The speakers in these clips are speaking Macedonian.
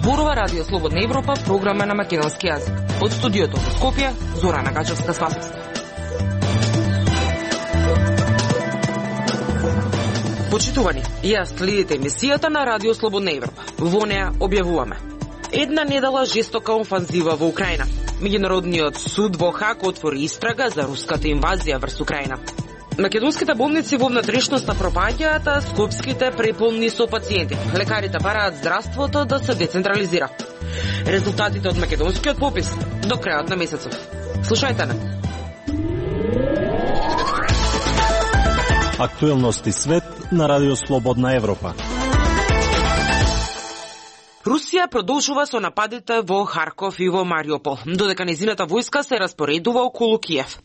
Зборува Радио Слободна Европа, програма на македонски јазик. Од студиото во Скопје, Зорана Гачевска-Спасовска. Почитувани, ја следите емисијата на Радио Слободна Европа. Во неа објавуваме: една недела жестока офанзива во Украина. Меѓународниот суд во Хаг отвори истрага за руската инвазија врз Украина. Македонските болници во внатрешноста пропаѓаат, а скопските преполни со пациенти. Лекарите бараат здравството да се децентрализира. Резултатите од македонскиот попис до крајот на месецов. Слушајте на. Актуелности свет на Радио Слободна Европа. Русија продолжува со нападите во Харков и во Мариупол, додека незината војска се распоредува околу Киев.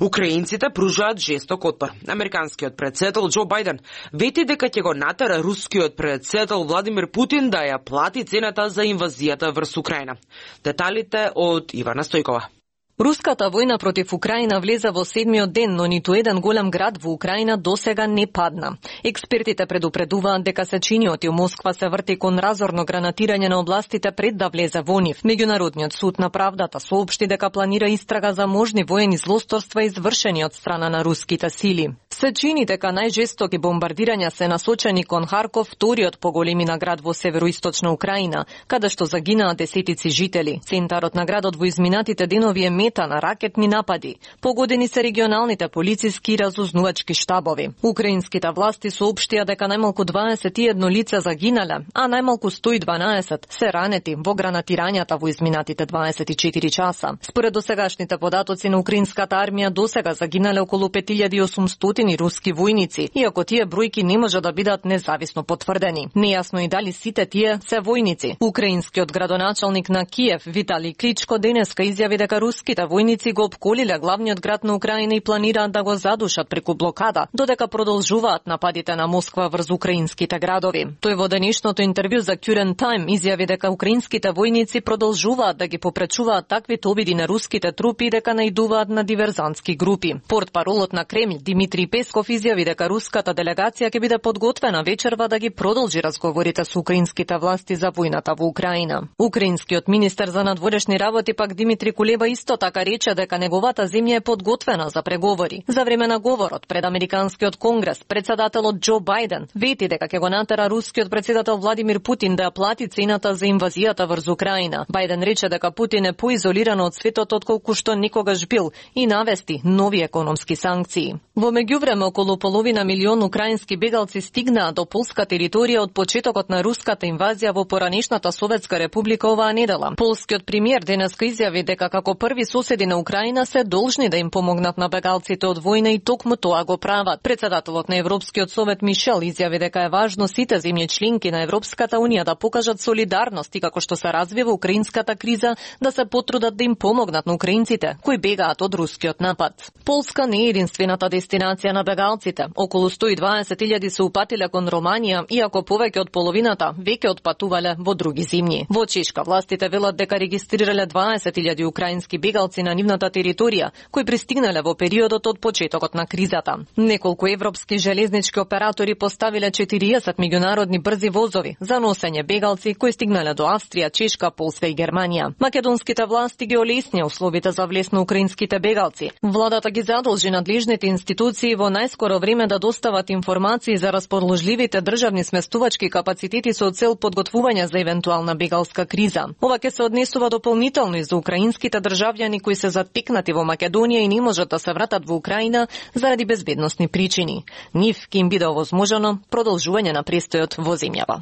Украинците пружаат жесток отпор. Американскиот претседател Џо Бајден вети дека ќе го натера рускиот претседател Владимир Путин да ја плати цената за инвазијата врз Украина. Деталите од Ивана Стојкова. Руската војна против Украина влезе во 7-миот ден, но ниту еден голем град во Украина досега не падна. Експертите предупредуваат дека сечиниот и Москва се врти кон разорно гранатирање на областите пред да влезе во нив. Меѓународниот суд на правдата соопшти дека планира истрага за можни воени злосторства извршени од страна на руските сили. Сечини дека најжестоки бомбардирања се насочени кон Харков, вториот по големина град во североисточна Украина, каде што загинаа десетици жители. Центарот на градот во изминатите денови е мета на ракетни напади. Погодени се регионалните полициски и разузнувачки штабови. Украинските власти соопштија дека најмалку 21 лица загинале, а најмалку 112 се ранети во гранатирањата во изминатите 24 часа. Според досегашните податоци на украинската армија досега загинале околу 5800 руски војници, иако тие бројки не може да бидат независно потврдени. Нејасно и дали сите тие се војници. Украинскиот градоначалник на Киев Витали Кличко денеска изјави дека руските војници го опколиле главниот град на Украина и планираат да го задушат преку блокада, додека продолжуваат нападите на Москва врз украинските градови. Тој во денешното интервју за Current Time изјави дека украинските војници продолжуваат да ги попречуваат таквите обиди на руските трупи и дека наидуваат на диверзантски групи. Портпаролот на Кремљ Димитри Песков изјави дека руската делегација ќе биде подготвена вечерва да ги продолжи разговорите со украинските власти за војната во Украина. Украинскиот министер за надворешни работи пак Димитри Кулеба исто така рече дека неговата земја е подготвена за преговори. За време на говорот пред Американскиот конгрес, претседателот Џо Бајден вети дека ќе го натера рускиот претседател Владимир Путин да ја плати цената за инвазијата врз Украина. Бајден рече дека Путин е поизолиран од светот отколку што никогаш бил и навести нови економски санкции. Во меѓувреме, околу половина милион украински бегалци стигнаа до полска територија од почетокот на руската инвазија во поранешната Советска република оваа недела. Полскиот премиер денеска изјави дека како први соседи на Украина се должни да им помогнат на бегалците од војна и токму тоа го прават. Претседателот на Европскиот совет Мишел изјави дека е важно сите земји членки на Европската унија да покажат солидарност и како што се развива украинската криза да се потрудат да им помогнат на украинците кои бегаат од рускиот напад. Полска не е единствената дестинација на бегалците. Околу 120.000 се упатиле кон Романија, иако повеќе од половината веќе отпатувале во други земји. Во Чешка властите велат дека регистрирале 20.000 украински бегалци на нивната територија, кои пристигнале во периодот од почетокот на кризата. Неколку европски железнички оператори поставиле 40 меѓународни брзи возови за носење бегалци кои стигнале до Австрија, Чешка, Полска и Германија. Македонските власти ги олеснија условите за влез на украинските бегалци. Владата ги задолжи надлежните институции во најскоро време да достават информации за расположливите државни сместувачки капацитети со цел подготвување за евентуална бегалска криза. Ова ќе се однесува дополнително и за украинските државјани кои се затекнати во Македонија и не можат да се вратат во Украина заради безбедносни причини. Нив ќе им биде овозможено продолжување на престојот во земјава.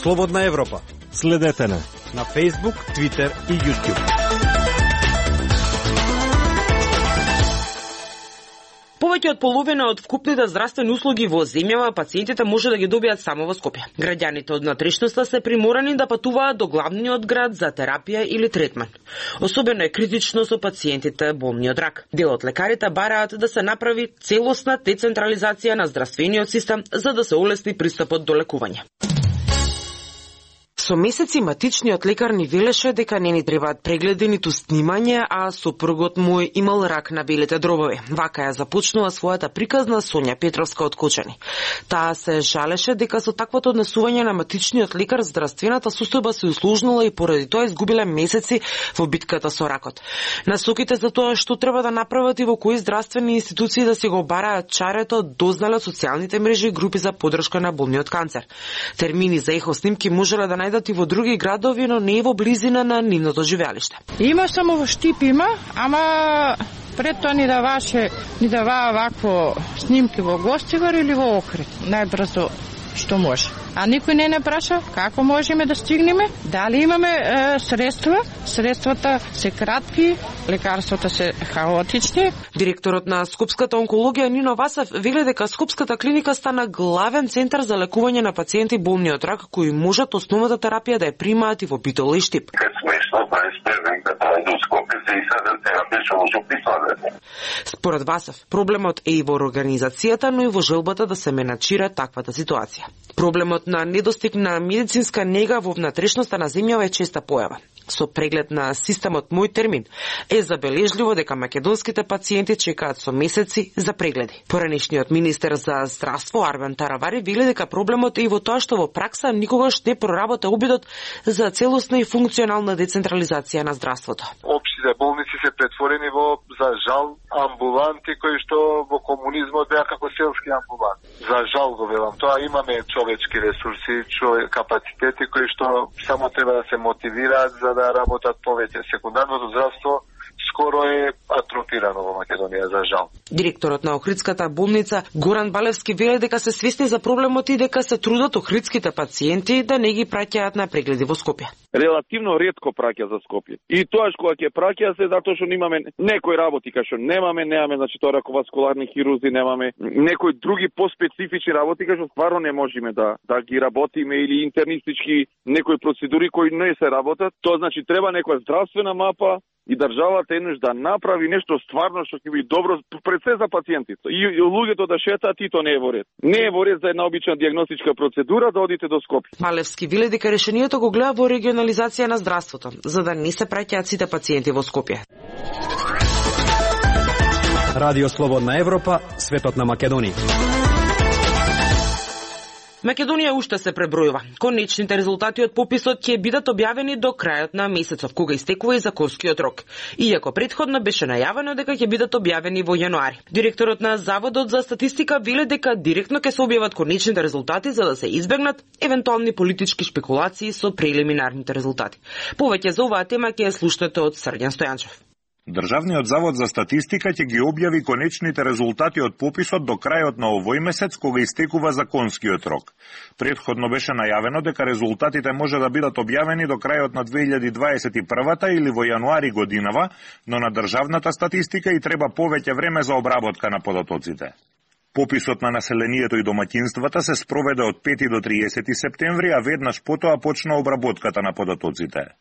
Слободна Европа. Следете на Facebook, Twitter и YouTube. Повеќе од половина од вкупните здравствени услуги во земјава пациентите може да ги добијат само во Скопје. Граѓаните од внатрешноста се приморани да патуваат до главниот град за терапија или третман. Особено е критично со пациентите болни од рак. Дел од лекарите бараат да се направи целосна децентрализација на здравствениот систем за да се олесни пристапот до лекување. Со месеци матичниот лекар ни велеше дека не ни требаат прегледи ниту снимање, а сопругот мој имал рак на белите дробови. Вака ја започнува својата приказна Сонја Петровска од Кочани. Таа се жалеше дека со таквото однесување на матичниот лекар здравствената состојба се усложнила и поради тоа изгубила месеци во битката со ракот. Насоките за тоа што треба да направат и во кои здравствени институции да се го бараат чарето дознале од социјалните мрежи и групи за поддршка на болни од канцер. Термини за ехо снимки можеле да најдат и во други градови, но не и во близина на нивното живеалиште. Има само во Штип има, ама пред тоа ни даваа вакво снимки во Гостивар или во Охрид. Најбрзо што може. А никој не праша како можеме да стигнеме, дали имаме средства. Средствата се кратки, лекарствата се хаотични. Директорот на Скопската онкологија Нино Васев вели дека Скопската клиника стана главен центар за лекување на пациенти болни од рак кои можат основната терапија да ја примаат и во Битола и Штип. Според Васев, проблемот е и во организацијата, но и во желбата да се меначира таквата ситуација. Проблемот на недостиг на медицинска нега во внатрешноста на земјава е честа појава. Со преглед на системот Мој термин е забележливо дека македонските пациенти чекаат со месеци за прегледи. Поранешниот министер за здравство Арвен Таравари вели дека проблемот е и во тоа што во пракса никогаш не проработа обидот за целосна и функционална децентрализација на здравството. Општите болници се претворени во, за жал, амбуланти кои што во комунизмот беа како селски амбуланти. За жал го велам, тоа имаме човечки ресурси, капацитети кои што само треба да се мотивираат за да работат повеќе. Секундарното здравство скоро е атрофирано во Македонија, за жал. Директорот на Охридската болница Горан Балевски вели дека се свесни за проблемот и дека се трудат охридските пациенти да не ги праќаат на прегледи во Скопје. Релативно ретко праќа за Скопје. И тоа кога ќе праќа се затоа што немаме некои работи кај што немаме значи тораковаскуларни хирурзи, немаме некои други поспецифични работи кај што стварно не можеме да ги работиме или интернистички некои процедури кои не се работат. Тоа значи треба некоја здравствена мапа и државата еднаш да направи нешто стварно што ќе биде добро пред се за пациентите. И луѓето да шетаат и тоа не е во ред. Не е во ред за една обична дијагностичка процедура да одите до Скопје. Малевски вели дека решението го гледа во регионализација на здравството, за да не се праќаат сите пациенти во Скопје. Радио Слободна Европа, светот на Македонија. Македонија уште се пребројува. Конечните резултати од пописот ќе бидат објавени до крајот на месецов, кога истекува и законскиот рок. Иако претходно беше најавено дека ќе бидат објавени во јануари. Директорот на Заводот за статистика вели дека директно ќе се објават конечните резултати за да се избегнат евентуални политички шпекулации со прелиминарните резултати. Повеќе за оваа тема ќе ја слушнете од Срѓан Стојанчев. Државниот завод за статистика ќе ги објави конечните резултати од пописот до крајот на овој месец, кога истекува законскиот рок. Претходно беше најавено дека резултатите може да бидат објавени до крајот на 2021 или во јануари годинава, но на државната статистика и треба повеќе време за обработка на податоците. Пописот на населението и домаќинствата се спроведе од 5 до 30 септември, а веднаш потоа почна обработката на податоците.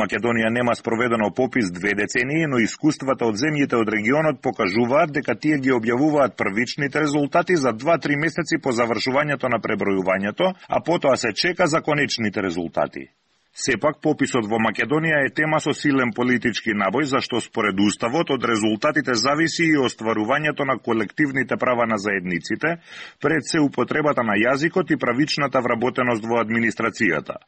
Македонија нема спроведено попис 2 децении, но искуствата од земјите од регионот покажуваат дека тие ги објавуваат првичните резултати за 2-3 месеци по завршувањето на пребројувањето, а потоа се чека за конечните резултати. Сепак, пописот во Македонија е тема со силен политички набој, зашто според Уставот од резултатите зависи и остварувањето на колективните права на заедниците, пред се употребата на јазикот и правичната вработеност во администрацијата.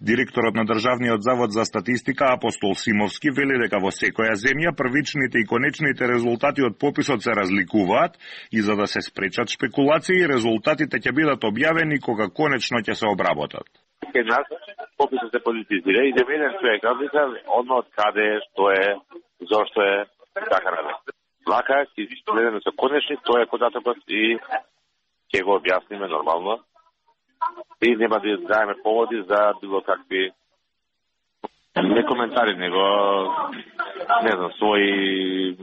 Директорот на Државниот завод за статистика Апостол Симовски вели дека во секоја земја првичните и конечните резултати од пописот се разликуваат и за да се спречат шпекулации, резултатите ќе бидат објавени кога конечно ќе се обработат. Кај нас пописот се политизира и да видим што е разлика, одно од каде, што е, зошто е, така натаму. Лака ќе изгледаме со конечни, тоа е податокот и ќе го објасниме нормално. И нема да дајме поводи за било какви не коментари, него не знам, своји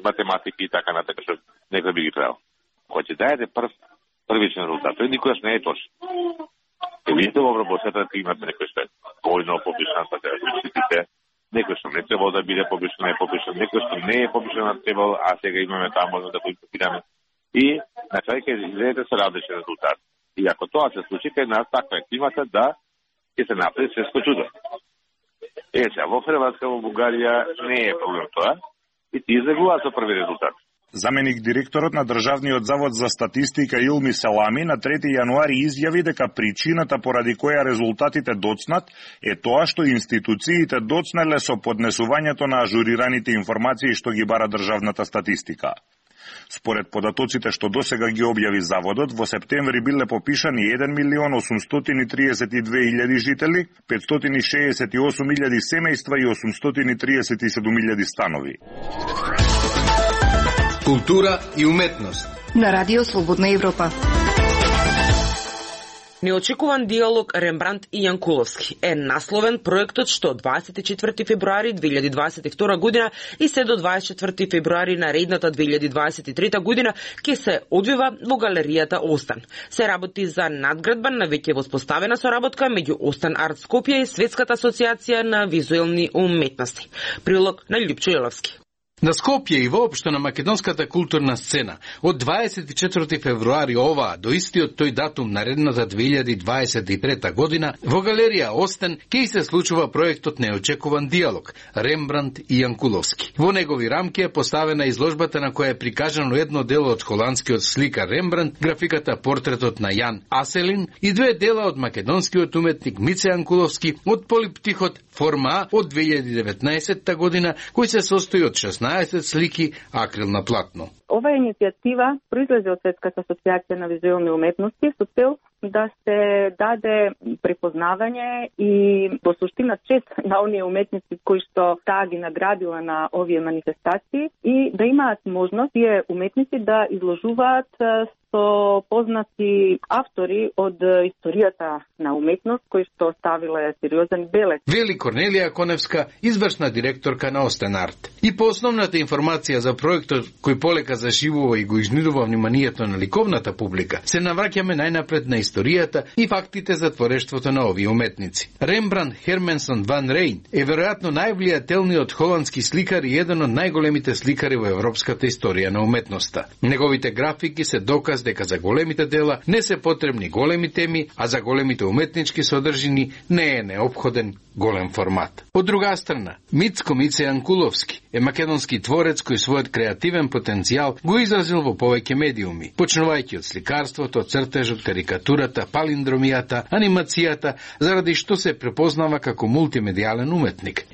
математики и така натака, што некој би ги правил. Кој ќе дајде првичен резултат, тој никогаш не е точен. Видите во обработката имате некој што е дојно побишан, така да некој што не требало да биде побишан, не е побишан, некој што не е побишан, требало, а сега имаме таа можност да го инкопираме. И на крај ќе изгледате со различен резултат. И ако тоа се случи кај нас, таква е климата да ќе се направи свеско чудо. Сега во Хрватска, во Бугарија не е проблем тоа и ти излегуваат со први резултат. Заменик директорот на Државниот завод за статистика Илми Селами на 3 јануари изјави дека причината поради која резултатите доцнат е тоа што институциите доцнале со поднесувањето на ажурираните информации што ги бара државната статистика. Според податоците што досега ги објави заводот, во септември биле попишани 1.832.000 жители, 568.000 семејства и 837.000 станови. Култура и уметност на Радио Слободна Европа. Неочекуван диалог Рембрандт и Јанкуловски е насловен проектот што 24 февруари 2022 година и се до 24 февруари наредната 2023 година ќе се одвива во галеријата Остан. Се работи за надградба на веќе воспоставена соработка меѓу Остан Арт Скопје и Светската асоциација на визуелни уметности. Прилог на Љупчо Јеловски. На Скопје и воопшто на македонската културна сцена од 24 февруари оваа до истиот тој датум наредната 2023 година во галерија Остен ќе се случува проектот Неочекуван диалог Рембрандт и Јанкуловски. Во негови рамки е поставена изложбата на која е прикажано едно дело од холандскиот сликар Рембрандт, графиката Портретот на Јан Аселин и две дела од македонскиот уметник Мице Јанкуловски од полиптихот Форма А од 2019 година, кој се состои од 16 слики акрил на платно. Ова иницијатива произлезе од Светската асоциација на визуелни уметности со цел да се даде препознавање и во суштина чест на оние уметници кои што таа ги наградила на овие манифестации и да имаат можност тие уметници да изложуваат со познати автори од историјата на уметност кои што оставиле сериозен белег. Вели Корнелија Коневска, извршна директорка на Остен Арт. И по основната информација за проектот кој полека заживува и го измирува вниманието на ликовната публика, се навраќаме најнапред на историјата и фактите за творештвото на овие уметници. Рембрандт Херменсон ван Рейн е веројатно највлијателниот холандски сликар и еден од најголемите сликари во европската историја на уметноста. Неговите графики се доказ дека за големите дела не се потребни големи теми, а за големите уметнички содржини не е неопходен голем формат. Од друга страна, Мицко Мице Јанкуловски е македонски творец кој својот креативен потенцијал го изразил во повеќе медиуми, почнувајќи од сликарството, цртежот, карикатурата, палиндромијата, анимацијата, заради што се препознава како мултимедијален уметник.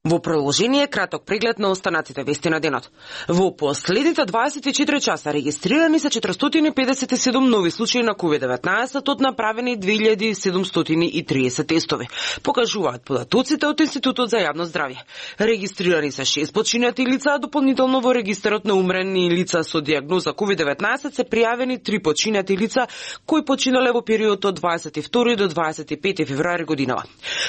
Во продолжение краток преглед на останатите вести на денот. Во последните 24 часа регистрирани се 457 нови случаи на COVID-19 од направени 2730 тестови. Покажуваат податоците од Институтот за јавно здравје. Регистрирани се 6 починати лица, а дополнително во регистарот на умрени лица со диагноза COVID-19 се пријавени 3 починати лица кои починале во период од 22 до 25 февруари годинава.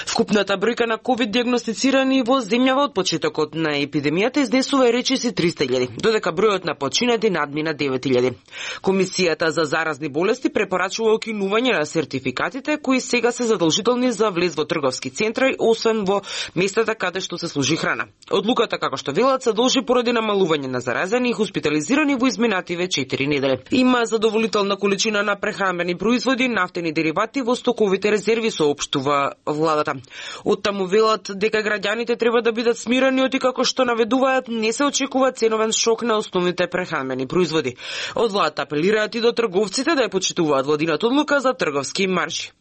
Вкупната бројка на COVID диагностицирани во земјава од почетокот на епидемијата изнесува речиси 300.000, додека бројот на починати надмина 9.000. Комисијата за заразни болести препорачува окинување на сертификатите кои сега се задолжителни за влез во трговски центри, освен во местата каде што се служи храна. Одлуката, како што велат, се должи поради намалување на заразени и хоспитализирани во изминативе 4 недели. Има задоволителна количина на прехранбени производи, нафтени деривати во стоковите резерви, соопштува владата. Оттаму велат дека граѓаните треба да бидат смирени оти како што наведуваат, не се очекува ценовен шок на основните прехранбени производи. Од владата апелираат и до трговците да ја почитуваат владината одлука за трговски маржи.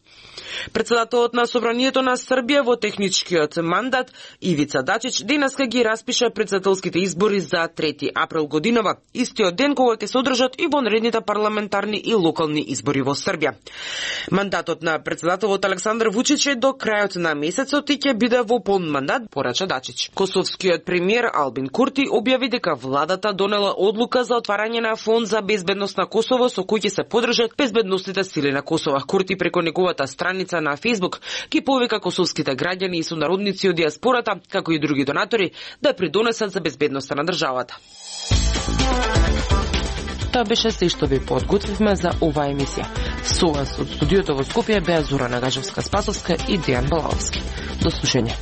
Председателот на Собранието на Србија во техничкиот мандат Ивица Дачич денеска ги распиша председателските избори за 3 април годинава, истиот ден кога ќе се одржат и вонредните парламентарни и локални избори во Србија. Мандатот на председателот Александар Вучич е до крајот на месецот и ќе биде во полн мандат, порача Дачич. Косовскиот премиер Албин Курти објави дека владата донела одлука за отварање на фонд за безбедност на Косово со кој ќе се подржат безбедносните сили на Косово. Курти преку неговата страница на Facebook ги повика косовските граѓани и сонародници од диаспората, како и други донатори, да придонесат за безбедноста на државата. Тоа беше се што ви подготвивме за оваа емисија. Со вас од студиото во Скопје беа Зора Нагажевска-Спасовска и Дејан Балаовски. До слушање.